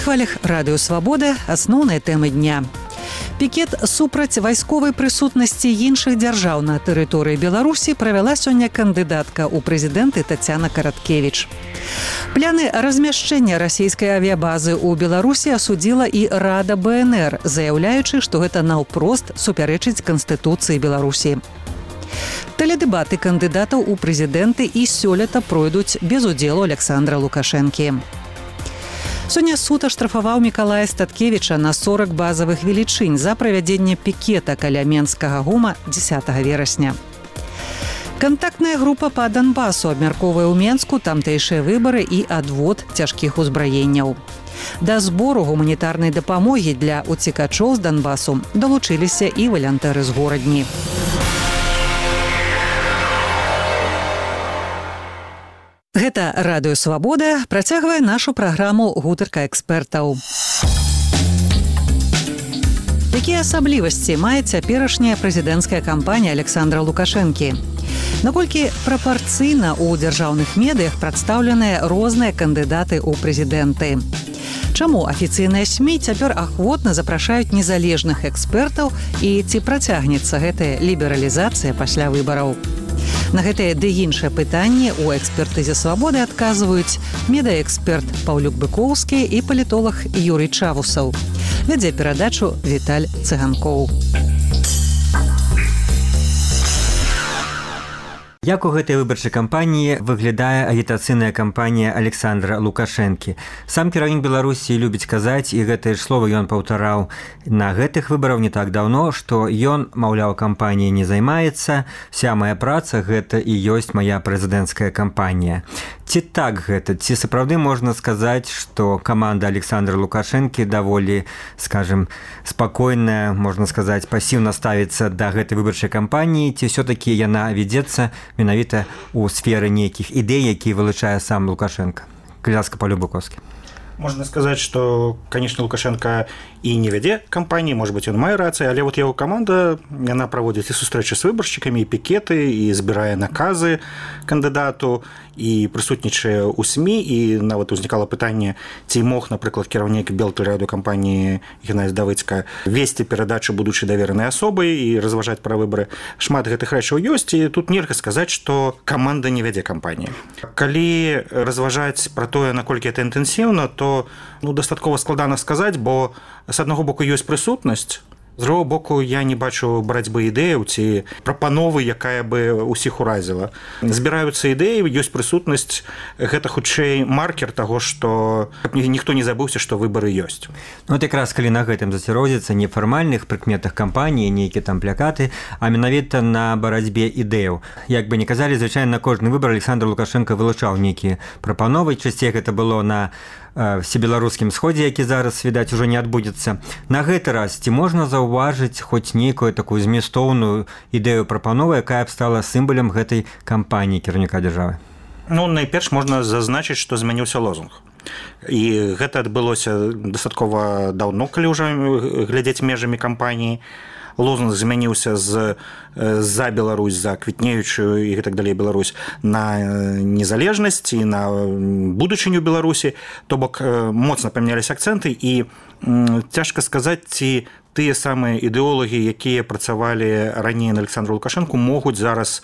хвалях радыё «Свабода» асноўныя тэмы дня. Пікет супраць вайсковай прысутнасці іншых дзяржаў на тэрыторыі Беларусі правяла сёння кандыдатка ў прэзідэнты Тацяна Караткевіч. Пляны размяшчэння расійскай авіябазы ў Беларусі асудзіла і Рада БНР, заяўляючы, што гэта наўпрост супярэчыць Канстытуцыі Беларусі. Тэледэбаты кандыдатаў у прэзідэнты і сёлета пройдуць без удзелу Александра Лукашэнкі. Сёння суд аштрафаваў Мікалая Статкевіча на 40 базавых велічынь за правядзенне пікета каля Менскага ГУМа 10 верасня. Кантактная група па Донбасу абмяркоўвае ў Менску тамтэйшыя выбары і адвод цяжкіх узбраенняў. Да збору гуманітарнай дапамогі для уцекачоў з Донбасу далучыліся і валянтэры з горадні. Гэта радыё «Свабода» працягвае нашу праграму «Гутарка экспертаў». Якія асаблівасці мае цяперашняя прэзідэнцкая кампанія Александра Лукашэнкі? Наколькі прапарцыйна ў дзяржаўных медыях прадстаўленыя розныя кандыдаты ў прэзідэнты? Чаму афіцыйныя СМІ цяпер ахвотна запрашаюць незалежных экспертаў і ці працягнецца гэтая лібералізацыя пасля выбараў? На гэтыя ды іншыя пытанні ў экспертызе «Свабоды» адказваюць медыаэксперт Паўлюк Быкоўскі і палітолог Юрый Чавусаў. Вядзе перадачу Віталь Цыганкоў. Як у гэтай выбарчай кампаніі выглядае агітацыйная кампанія Александра Лукашэнкі? Сам кіраўнік Беларусі любіць казаць, і гэтае ж слова ён паўтараў на гэтых выбарах не так даўно, што ён, маўляў, кампаніяй не займаецца, вся мая праца гэта і ёсць мая прэзідэнцкая кампанія. Ці так гэта? Ці сапраўды можна сказаць, што каманда Александра Лукашэнкі даволі, скажем, спакойная, можна сказаць, пасіўна ставіцца да гэтай выбарчай кампаніі, ці ўсё-такі яна вядзецца менавіта ў сферы нейкіх ідэй, які вылучае сам Лукашенко? Кляска, Павлюк Быкоўскі. Можно сказать, что, конечно, Лукашенко и не вядзе кампании, может быть, он мае рацыю, але вот его команда, она проводит и сустрэчы с выборщиками, и пикеты, и збірае наказы кандыдату, і прысутнічае ў СМІ, і нават узнікала пытанне, ці мог, напрыклад, кіраўнік белтэлерадыёкампаніі Геннадзь Давыдзька весці перадачу будучай даверанай асобай і разважаць пра выбары. Шмат гэтых рэчаў ёсць, і тут нельга сказаць, што каманда не вядзе кампаніі. Калі разважаць пра тое, наколькі гэта інтэнсіўна, то дастаткова складана сказаць, бо з аднаго боку ёсць прысутнасць, з другого боку, я не бачу барацьбы ідэяў ці прапановы, якая бы ўсіх уразіла. Збіраюцца ідэі, ёсць прысутнасць, гэта хутчэй маркер таго, што ніхто не забыўся, што выбары ёсць. Вот якраз калі на гэтым заціродзіцца не фармальных прыкметах кампаніі, нейкія там плакаты, а менавіта на барацьбе ідэяў. Як бы не казалі, звычайна на кожны выбар Александр Лукашенко вылучаў нейкія прапановы, часцей гэта было на всебеларускім сходзе, які зараз, відаць, ужо не адбудзецца. На гэты раз ці можна заўважыць хоць нейкую такую зместоўную ідэю прапанову, якая б стала сімвалам гэтай кампаніі кіраўніка дзяржавы? Найперш можна зазначыць, што змяніўся лозунг. І гэта адбылося дастаткова даўно, калі ўжо глядзець межамі кампаніі. Лозунг змяніўся за Беларусь, за квітнеючую і так далей Беларусь на незалежнасць і на будучыню Беларусі. То бок моцна памяняліся акцэнты, і цяжка сказаць, ці тыя самыя ідэолагі, якія працавалі раней на Александра Лукашэнку, могуць зараз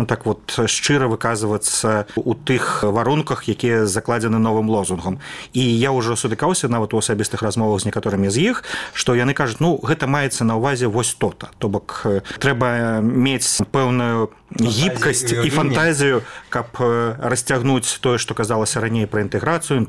так вот шчыра выказвацца ў тых варунках, якія закладзены новым лозунгам. І я ўжо сутыкаўся нават у асабістых размовах з некаторымі з іх, што яны кажуць, гэта маецца на ўвазе вось то-то. То бок трэба мець пэўную гібкасць і фантазію, каб расцягнуць тое, што казалася раней пра інтэграцыю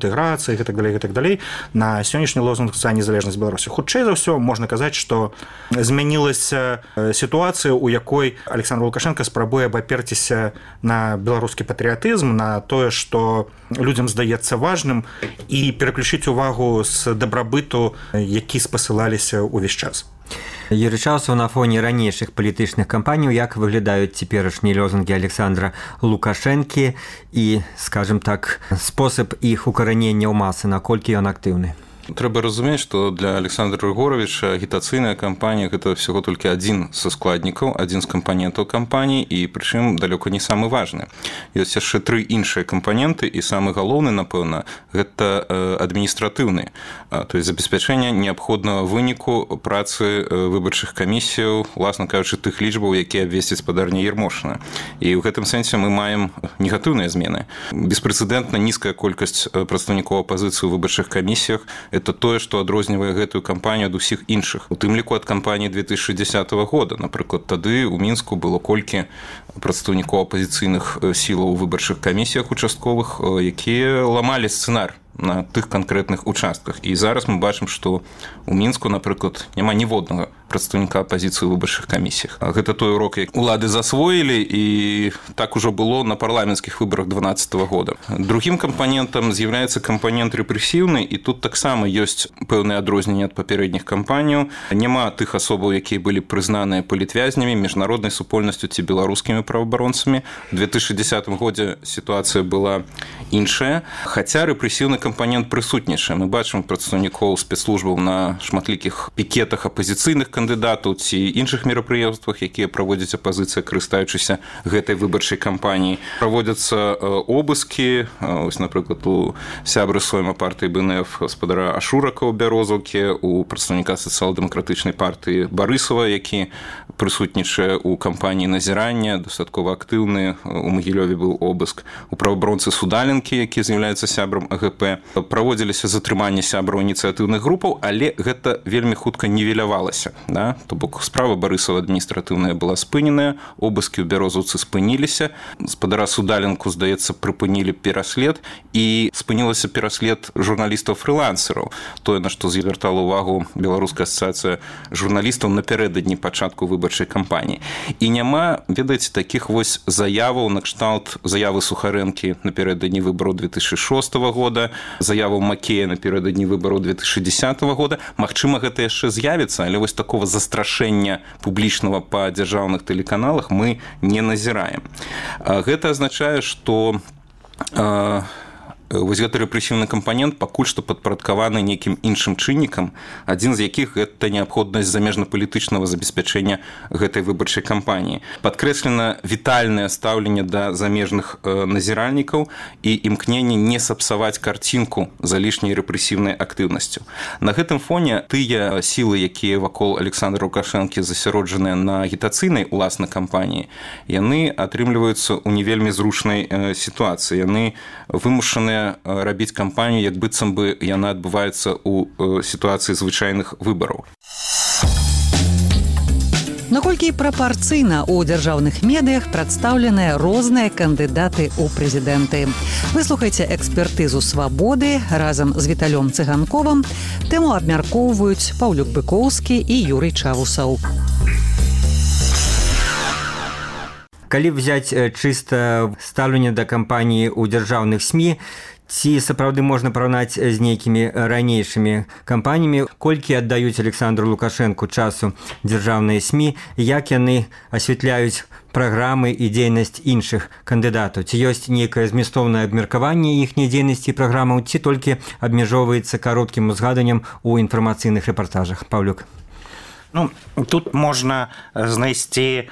і так далей, на сённяшні лозунг за незалежнасць Беларусі. Хутчэй за ўсё можна казаць, што змянілася сітуацыя, у якой Александр Лукашенко спрабуе абаперціся на беларускі патрыятызм, на тое, што людзям здаецца важным, і пераключыць увагу з дабрабыту, які спасылаліся ўвесь час. Юрый Чавусаў, на фоне ранейшых палітычных кампаніяў, як выглядаюць цяперашнія лозунгі Александра Лукашэнкі і, скажем так, спосаб іх укаранення ў масы, наколькі ён актыўны? Трэба разумець, што для Александра Григоровича агітацыйная кампанія гэта всего толькі адзін са складнікаў, адзін з кампанентаў кампаніі, і прычым далёка не самы важны. Ёсць яшчэ 3 іншыя кампаненты, і самы галоўны, напэўна, гэта адміністратыўны, то есть забеспячэнне неабходнага выніку працы выбарчых камісіяў, уласна кажучы, тых лічбаў, якія абвесціць спадарня Ермошына. І ў гэтым сэнсе мы маем негатыўныя змены. Беспрэцэдэнтна нізкая колькасць прадстаўнікоў апазіцыі ў выбарчых камісіях – это тое, што адрознівае гэтую кампанію ад усіх іншых. У тым ліку ад кампаніі 2010 года. Напрыклад, тады ў Мінску было колькі прадстаўнікоў апазіцыйных сілаў у выбарчых камісіях участковых, якія ламалі сцэнар на тых канкрэтных участках. І зараз мы бачым, што ў Мінску, напрыклад, няма ніводнага прадстаўніка апазіцыі ў выбарчых камісіях. Гэта той урок, як улады засвоілі, і так ужо было на парламенцкіх выбарах 2012 года. Другім кампанентам з'яўляецца кампанент рэпрэсіўны, і тут таксама ёсць пэўныя адрозненні ад папярэдніх кампаніяў. Няма тых асобаў, якія былі прызнаныя палітвязнямі, міжнароднай супольнасцю ці беларускімі праваабаронцамі. У 2010 годзе сітуацыя была іншая, хаця рэпрэсіўны кампанент прысутнічае. Мы бачым прадстаўнікоў спецслужбаў на шматлікіх пікетах апазіцыйных кандыдатаў ці іншых мерапрыемствах, якія праводзіць апазіцыя, карыстаючыся гэтай выбарчай кампаніяй. Праводзяцца обыскі, ось, напрыклад, у сябры сойма партыі БНФ гаспадара Ашурака ў Бярозаўкі, у прадстаўніка сацыял-дэмакратычнай партыі Барысава, які прысутнічае ў кампаніі назірання, дастаткова актыўны, у Магілёве быў обыск, у праваабаронцы Судаленкі, які з'яўляецца сябрам АГП. Праводзіліся затрыманні сябраў ініцыятыўных групаў, але гэта вельмі хутка нівелявалася. Да? То бок справа Барысава адміністратыўная была спыненая, обыскі ў Бярозаўцы спыніліся, гаспадара Судаленку, здаецца, прыпынілі пераслед, і спынілася пераслед журналістаў-фрылансераў. Тое, на што звяртала ўвагу Беларуская асацыяцыя журналістаў напярэдадні пачатку выбарчай кампаніі. І няма, ведаеце, такіх вось заяваў на кшталт заявы Сухарэнкі напярэдадні выбараў 2006 года, заяваў Макея напярэдадні выбараў 2010 года. Магчыма, гэта яшчэ з'явіцца, але вось такого застрашэння публічнага па дзяржаўных тэлеканалах мы не назіраем. Гэта азначае, што вось гэты рэпрэсіўны кампанент пакуль што падпарадкаваны нейкім іншым чыннікам, адзін з якіх гэта неабходнасць замежна-палітычнага забеспячэння гэтай выбарчай кампаніі. Падкрэслена вітальнае стаўленне да замежных назіральнікаў і імкненне не сапсаваць карцінку за лішняй рэпрэсіўнай актыўнасцю. На гэтым фоне тыя сілы, якія вакол Александра Лукашэнкі засяроджаныя на агітацыйнай уласнай кампаніі, яны атрымліваюцца ў не вельмі зручнай сітуацыі. Яны вымушаныя рабіць кампанію, як быццам бы яна адбываецца ў сітуацыі звычайных выбараў. Наколькі прапарцыйна ў дзяржаўных медыях прадстаўленыя розныя кандыдаты ў прэзідэнты. Выслухайце экспертызу «Свабоды» разам з Віталём Цыганковым. Тэму абмяркоўваюць Паўлюк Быкоўскі і Юрый Чавусаў. Калі взять чыста стаўленне да кампаніі ў дзяржаўных СМІ, ці сапраўды можна параўнаць з нейкімі ранейшымі кампаніямі, колькі аддаюць Александру Лукашэнку часу дзяржаўныя СМІ, як яны асвятляюць праграмы і дзейнасць іншых кандыдатаў? Ці ёсць нейкае змястоўнае абмеркаванне іхняй дзейнасці і праграмаў, ці толькі абмяжоўваецца кароткім узгаданнем у інфармацыйных рэпартажах? Паўлюк. Тут можна знайсці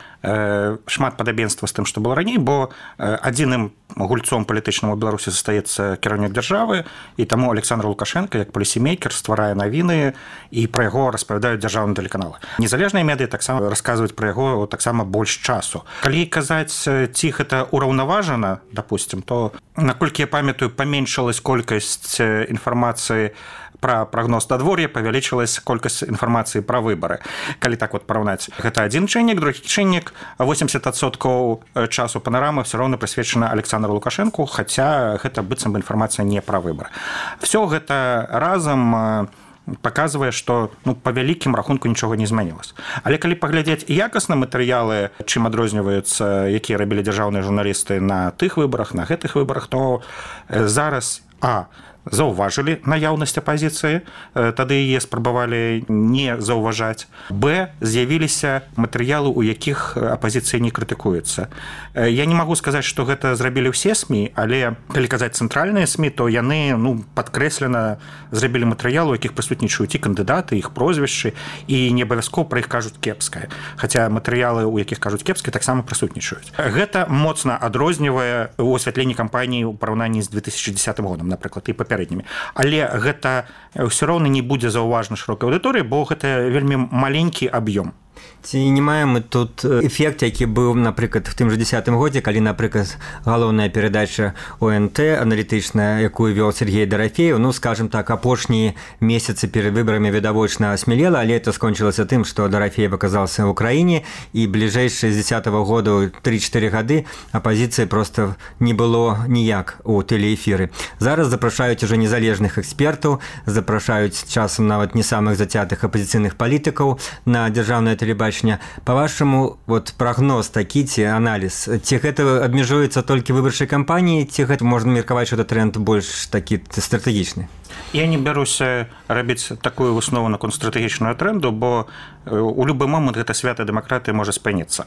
шмат падабенства з тым, што было раней, бо адзіным гульцом палітычным у Беларусі застаецца кіраўнік дзяржавы, і таму Александр Лукашенко, як полісімейкер, стварае навіны, і пра яго распавядаюць дзяржаўныя тэлеканалы. Незалежныя медыі таксама расказваюць пра яго таксама больш часу. Калі казаць, ці гэта ўраўнаважана, допустим, то, наколькі я памятаю, паменшылась колькасць інфармацыі пра прагноз надвор'я, павялічылась колькасць інфармацыі пра выбары. Калі так вот параўнаць, гэта адзін чыннік, другі чыннік, 80% часу панорамы все роўна прысвечана Александру Лукашэнку, хаця гэта быццам бы інфармацыя не пра выбары. Всё гэта разам паказвае, што па вялікім рахунку нічога не змянілася. Але калі паглядзець якасна матэрыялы, чым адрозніваюцца, якія рабілі дзяржаўныя журналісты на тых выбарах, на гэтых выбарах, то зараз заўважылі наяўнасць апазіцыі, тады яе спрабавалі не заўважаць. Б, з'явіліся матэрыялы, у якіх апазіцыя не крытыкуецца. Я не магу сказаць, што гэта зрабілі ўсе СМІ, але калі казаць цэнтральныя СМІ, то яны падкрэслена зрабілі матэрыялы, у якіх прысутнічаюць і кандыдаты, іх прозвішчы, і не абавязкова пра іх кажуць кепскае. Хаця матэрыялы, у якіх кажуць кепскае, таксама прысутнічаюць. Гэта моцна адрознівае у асвятленні кампаніі ў параўнанні з 2010 годам, напрыклад, і папярэднімі. Але гэта ўсё роўна не будзе заўважна шырокай аўдыторыі, бо гэта вельмі маленькі аб'ём. Ці не маем мы тут эфект, які быў, напрыклад, в тым жа 10-м годзе, калі, напрыклад, галоўная перадача ОНТ аналітычная, якую вёл Сергей Дарафеев, скажем так, апошнія месяцы перад выбарамі відавочна асмелела, але это скончылася тым, што Дарафеев аказаўся ў краіне, і бліжэйшыя з 10-го года 3-4 гады апазіцыі проста не было ніяк у тэлеэфіры. Зараз запрашаюць ужо незалежных экспертаў, запрашаюць часам нават не самых зацятых апазіцыйных палітыкаў на дзяржаўнае тэлебачанне. Па-вашаму, прагноз такі ці аналіз, ці гэта абмежуецца толькі выбарчай кампаніі, ці гэта можна меркаваць, што гэта тренд больш такі стратэгічны? Я не бяруся рабіць такую выснову наконт стратэгічную тренду, бо у любы момант гэта свята дэмакратыі можа спыніцца.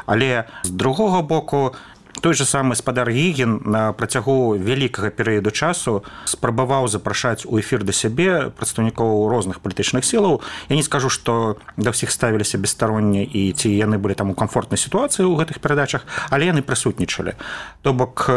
Але з другога боку, той же самы спадар Гігін на працягу вялікага перыяду часу спрабаваў запрашаць у эфір да сябе прадстаўнікоў розных палітычных сілаў. Я не скажу, што да ўсіх ставіліся бесстаронне і ці яны былі там у камфортнай сітуацыі ў гэтых перадачах, але яны прысутнічалі. То бок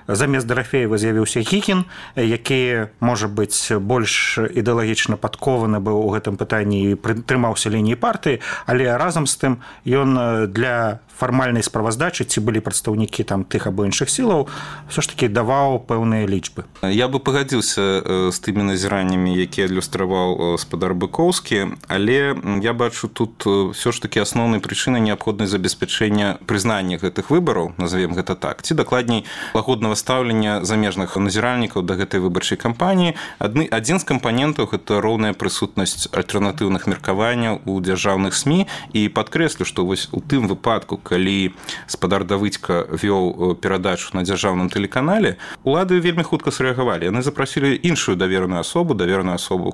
замест Дарафеева з'явіўся Гігін, які, можа быць, больш ідэалагічна падкованы быў у гэтым пытанні і прытрымаўся лініі партыі, але разам з тым ён для фармальнай справаздачы, ці былі прадстаўнікі там тых або іншых сілаў, все ж таки даваў пэўныя лічбы. Я бы пагадзіўся з тымі назіраннямі, якія адлюстраваў спадар Быкоўскі, але я бачу тут все ж таки асноўнай прычынай неабходнасць забеспячэння прызнання гэтых выбараў, назовем гэта так, ці дакладней лагоднага стаўлення замежных назіральнікаў да гэтай выбарчай кампаніі. Адзін з кампанентаў гэта роўная прысутнасць альтэрнатыўных меркаванняў у дзяржаўных СМІ, і падкрэслю, што вось у тым выпадку, калі спадар Давыдзька вёў перадачу на дзяржаўным тэлеканале, улады вельмі хутка срэагавалі. Яны запрасілі іншую давераную асобу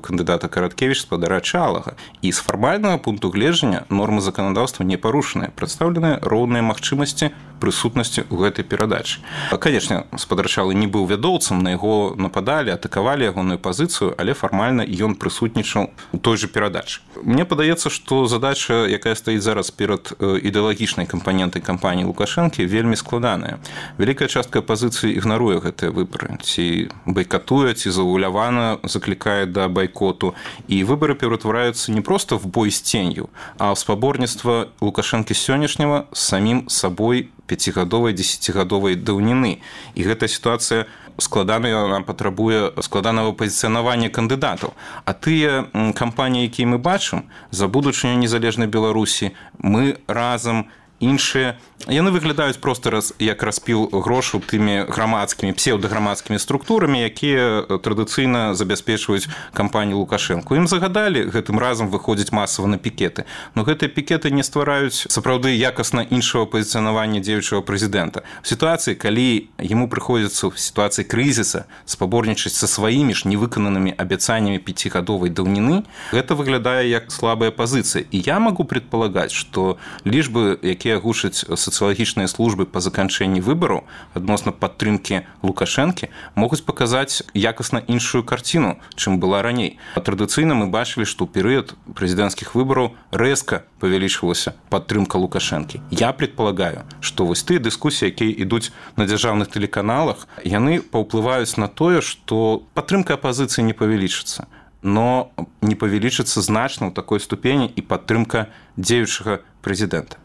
кандыдата Караткевіч, спадара Чалага. І з фармальнага пункту гледжання нормы заканадаўства не парушаныя, прадстаўленыя роўныя магчымасці прысутнасці ў гэтай перадачы. Канечне, спадар Чалы не быў вядоўцам, на яго нападалі, атакавалі ягоную пазіцыю, але фармальна ён прысутнічаў у той жа перадачы. Мне падаецца, што задача, якая стаіць зараз перад ідэалагічнай кампанентай кампаніі Лукашэнкі, вельмі складаная. Вялікая частка апазіцыі ігнаруе гэтыя выбары, ці байкатуе, ці заўвалявана заклікае да байкоту, і выбары ператвараюцца не проста в бой з ценью, а ў спаборніцтва Лукашэнкі сённяшняга з самім сабой 5-гадовай, 10-гадовай даўніны. І гэтая сітуацыя складаная, нам патрабуе складанага пазіцыянавання кандыдатаў. А тыя кампаніі, якія мы бачым, за будучыню незалежнай Беларусі, мы разам, іншыя, яны выглядаюць проста як распіл грошаў тымі грамадскімі, псеўдаграмадскімі структурамі, якія традыцыйна забяспечваюць кампанію Лукашэнку. Ім загадалі гэтым разам выходзіць масава на пікеты. Но гэтыя пікеты не ствараюць сапраўды якасна іншага пазіцыянавання дзеючага прэзідэнта. В сітуацыі, калі яму прыходзіцца в сітуацыі крызіса спаборнічаць са сваімі ж невыкананымі абяцаннямі 5-гадовай даўніны, гэта выглядае як слабая пазіцыя. І я магу предполагаць, што лічбы, якія гушаць сацыялагічныя службы па заканчэнні выбараў адносна падтрымкі Лукашэнкі, могуць паказаць якасна іншую карціну, чым была раней. Традыцыйна мы бачылі, што ў перыяд прэзідэнцкіх выбараў рэзка павялічвалася падтрымка Лукашэнкі. Я предполагаю, што вось тыя дыскусіі, якія ідуць на дзяржаўных тэлеканалах, яны паўплываюць на тое, што падтрымка апазіцыі не павялічыцца, но не павялічыцца значна ў такой ступені і падтрымка дзеючага прэзідэнта.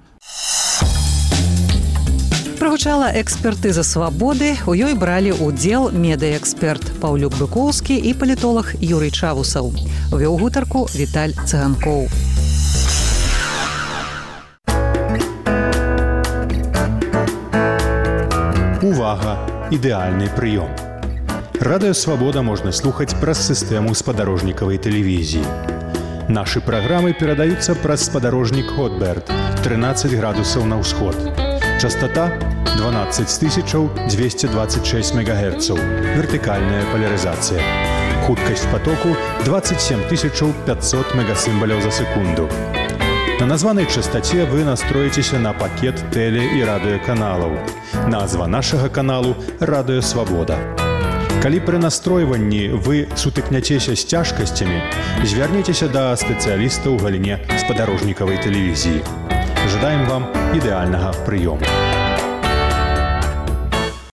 Прагучала экспертыза свабоды, у ёй бралі ўдзел медыаэксперт Паўлюк Быкоўскі і палітолог Юрый Чавусаў. Вёў гутарку Віталь Цыганкоў. Увага! Ідэальны прыём. Радыё Свабода можна слухаць праз сістэму спадарожнікавай тэлевізіі. Нашы праграмы перадаюцца праз спадарожнік Хотберт 13 градусаў на ўсход. Частота 12 226 МГц, вертыкальная поляризация. Хуткасць потоку 27 500 мегасимволяў за секунду. На названай частоце вы настроіцеся на пакет теле- і радыёканалаў. Назва нашага каналу «Радыё Свабода». Калі пры настройванні вы сутыкняцеся з цяжкасцямі, звярніцеся да спецыяліста ў галіне спадарожнікавай тэлевізіі. Жадаем вам ідэальнага прыёму.